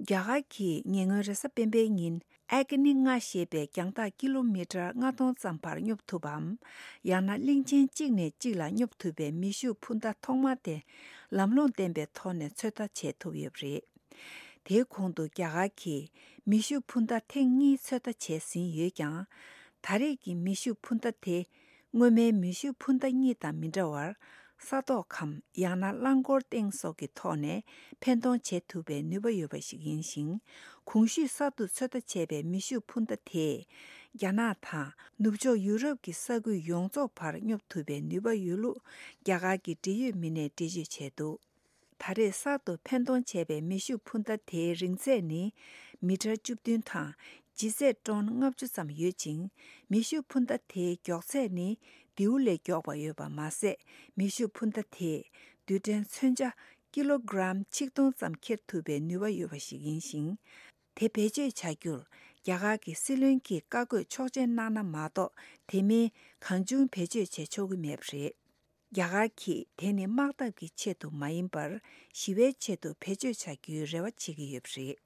Gyagaki ngengeresa pembengin agni nga shebe kyangta kilometer nga ton sampar nyup tubam yana lingchen chigne chigla nyup tube mishu phunda thongma te lamlong tembe thone chota che thuyebre de khondu gyagaki mishu phunda thengi chota che sin yekyang thare ki mishu phunda te ngome mishu phunda ni ta mindawar sato kham yana langor teng so ki thone pendon che tube nuba yoba shigin sing kungshi satu chota chebe mishu phunda the yana tha nubjo Europe ki sagu yongzo par nyop tube nuba yulu gyaga ki diyu mine diji chedu thare sato pendon chebe mishu phunda the ringse ni meter chupdun tha jise ton ngapchu sam yeching mishu phunda the gyokse ni diule gyokba yoba mase mishu phunda the duden chönja kilogram chikdong sam khet tube nuba yoba shigin sing te peje chagyur yaga ki silun ki kago chokjen nana mato temi kanjung peje che chogu mepre yaga ki teni magdab ki chetu mayimbar shiwe chetu peje chagyu rewa chigi yopre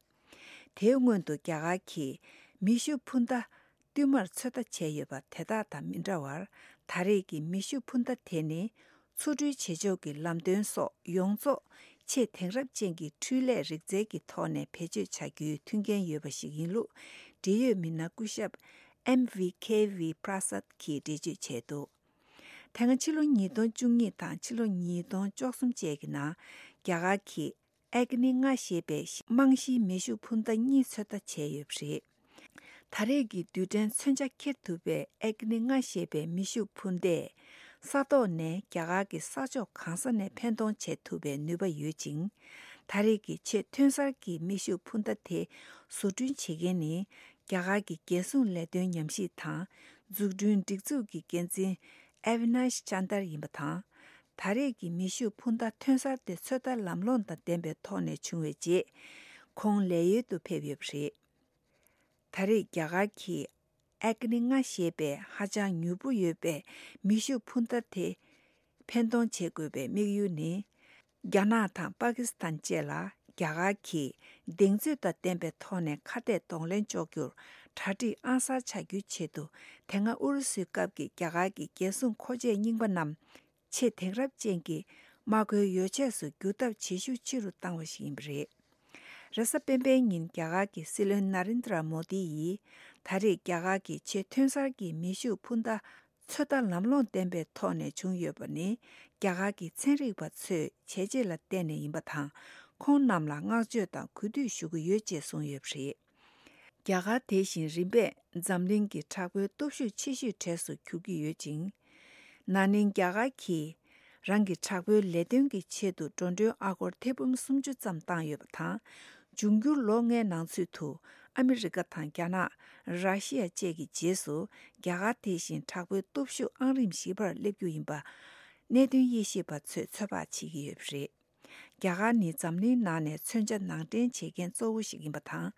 대응원도 야가키 미슈 푼다 띠말 쳐다 제여바 대다다 민자왈 다리기 미슈 푼다 테니 수주 제조기 람된소 용조 체 탱랍쟁기 툴레 릭제기 토네 배제 자규 튕겐 여바시긴루 디유 민나쿠샵 MVKV 프라삿 키 디지 제도 당은 칠로 니돈 중니 단 칠로 니돈 쪽숨 제기나 야가키 애그닝아 시베 망시 메슈 푼다 니 쳤다 제엽시 다레기 두덴 선자켓 두베 애그닝아 시베 미슈 푼데 사도네 갸가기 사조 강선의 팬동 제투베 누바 유징 다레기 제 튼살기 미슈 푼다테 수준 체계니 갸가기 계속 레던 염시타 죽준 딕주기 겐진 에비나시 찬다르 임바타 다레기 미슈 푼다 튼살 때 서다 람론다 덴베 토네 중외지 콩레유도 페비브시 다레 갸가기 애그닝아 시베 하장 유부유베 미슈 푼다테 펜동 제급에 미유니 야나타 파키스탄 제라 갸가키 딩즈다 템베 토네 카데 동렌 조규 타디 아사 차규 체도 탱아 우르스 갑기 갸가기 계sun 코제 닝바남 체 탱랍 쟁기 마고 요체스 규답 지슈 치루 땅워시임브리 rasa pempeñin gyagaki silun narendra modi thari gyagaki che thensargi mishu phunda choda lamlon tembe thone jungyobani gyagaki chenriba chhe cheje la tene imbathang khon namla ngajyo ta kudu shugu yeje songyebri gyaga 대신 rimbe zamlingi thagwe topshu chishu thesu kyugi yejing nanin gyagaki rangi chakwe ledungi chedu tondyo agor tebum sumju zamtang yobthang 중규 롱에 낭수투 아메리카 탄캬나 러시아 제기 제수 갸가 대신 타고 톱슈 안림시버 레규임바 내든 예시바 처바치기 없이 갸가니 잠니 나네 천자 낭된 제겐 쪼우시긴바탕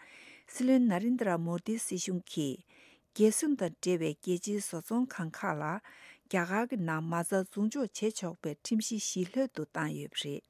슬렌 나린드라 모디 시슌키 게순다 제베 게지 소송 칸카라 갸가그 나마자 중조 제척베 팀시 실효도 땅 없이